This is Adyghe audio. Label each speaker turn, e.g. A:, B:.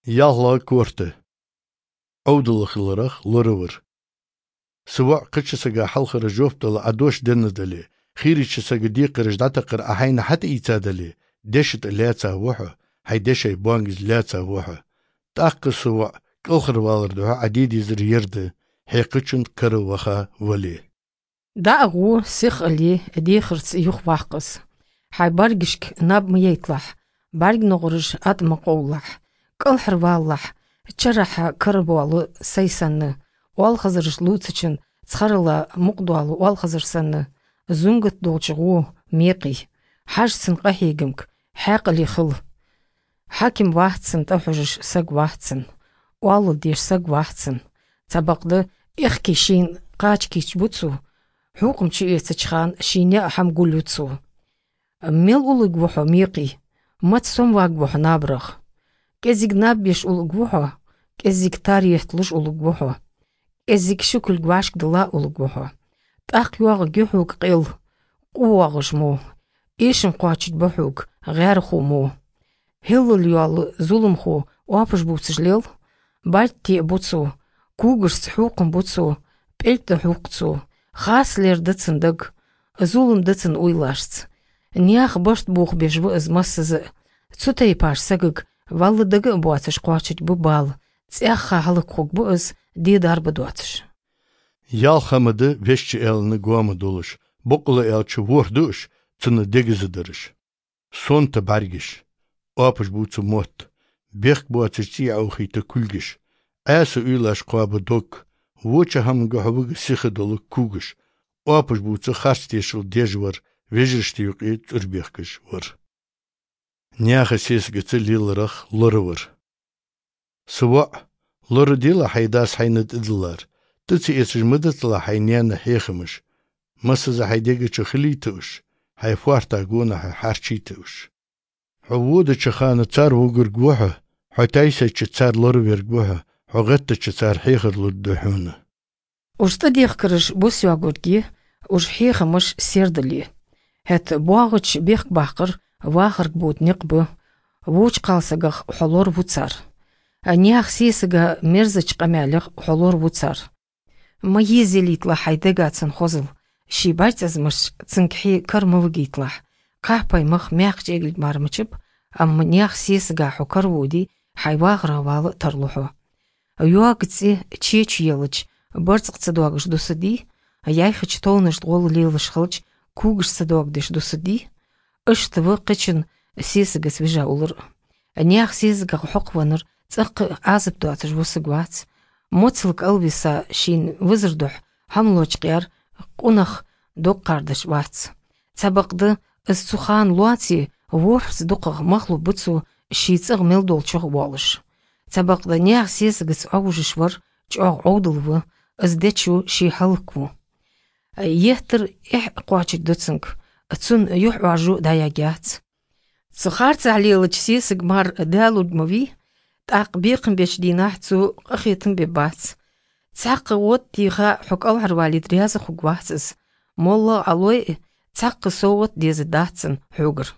A: Ялла корты. Оудылыхлырах лырывыр. Сыва қычысыга халхыры жофталы адош деннадали. Хиричысыга дикырыш датақыр ахайна хат ицадали. Дешит ляца вуху. Хайдешай буангиз ляца вуху. Таққы сыва кылхыр валырдуха адидизір ерді. Хекычын кыры ваха вали.
B: Даагу сих али дихырц юх вахқыс. Хай баргишк наб миетлах. Барг ногрыш ат мақоулах. Кылхыр валлах. Чараха кырбуалы сайсанны. Уалхазырыш луцычын цхарыла муқдуалы уалхазырсанны. Зунгат долчыгу меқи. Хажсын қахигымк. Хақали хыл. Хаким вахтсын тахужыш саг вахтсын. Уалы деш саг вахтсын. Цабақды ихки шин қачкич буцу. حوقم شي تشخان شينيا أحم قولوتسو. ميل أولوغ وحو ميقي. مات سوم واغ وحو نابرخ. كزيك نابيش أولوغ وحو. كزيك تاريخ تلوش أولوغ وحو. كزيك شكل قواشك دلا أولوغ وحو. تاق يواغ جيحوك قيل. قواغش مو. إيشن قواتشت بحوك غير خو مو. هلل يوال ظلم خو وابش بوتسجليل. بارتي بوتسو. كوغرس حوقم بوتسو. بإلت حوقتسو. Хаслер дыцындаг, зулым дыцын уйлашц. Ниах башт бух бежбу ызмассызы. Цутай паш сагык, валлыдагы буацыш қуачыт бу бал. Цяхха халык хук бу ыз, дидар бу дуацыш.
A: Ялхамыды вешчи элны гуамы дулыш. Букулы элчи вурдуш, цыны дегизыдырыш. Сонты баргиш. Опыш буцу мот. Бех буацыш циаухиты кульгиш. Әсі уйлаш қуабы док. Вуча хамга хавыгы сихы долы кугыш. Опыш буцу харстешил дежвар, вежишти юқи цурбехкыш вар. Няха сесгіці лилырах лырывыр. Сыва, лыры дила хайдас хайныт идылар. Тыцы эсыж мыдытла хайняны хехымыш. Масыза хайдегічі хилитыш. Хайфуарта гуна харчитыш. Хувуды чыханы цар вугыр гуха, хатайса чы цар лырывер гуха, хугатты чы цар хехыр луддухуна.
B: Ужты дихкырыш бусюагурги, уж хехымыш сердыли. Хет буагыч бех бақыр, вахырг бут бу, вуч қалсагах холор вуцар. Ниах сисыга мерзыч қамялық холор вуцар. Маезелитла хайдагацын хозыл. Ши байтазмыш цинкхи кармывгитлах. Қахпаймых мяқ жегіл мармычып, амма ниах сисыга хукар вуди хайвағравалы тарлуху. Юагци чеч елыч, барцқцадуагыш дусыди, яйхыч толныш дғол лилыш хылч, кугыш садуагдыш дусыди, ыштывы қычын сисыга свежа улыр. Ниах сисыга хукваныр, цақы азып дуацыш вусыгвац. Моцлык алвиса шин вызырдух хамлочқяр қунах док қардаш вац. Цабақды ызцухан луаци ворхс дуқах махлу быцу шицығ мелдолчық уалыш. Цабақды ниах сисыгыц аужышвар чоғ оудылвы ыздечу ши халыкву. Ехтыр их қуачыт дуцынк, цун юх уажу даягяц. Цухарц алилыч сисыг мар дәлудмави, тақ биқын беш динах цу қахитын бебац. Цақы от тиға хукал харвалид рязы хугвацыз. Молла алой цақы соғыт дезі датсын хугыр.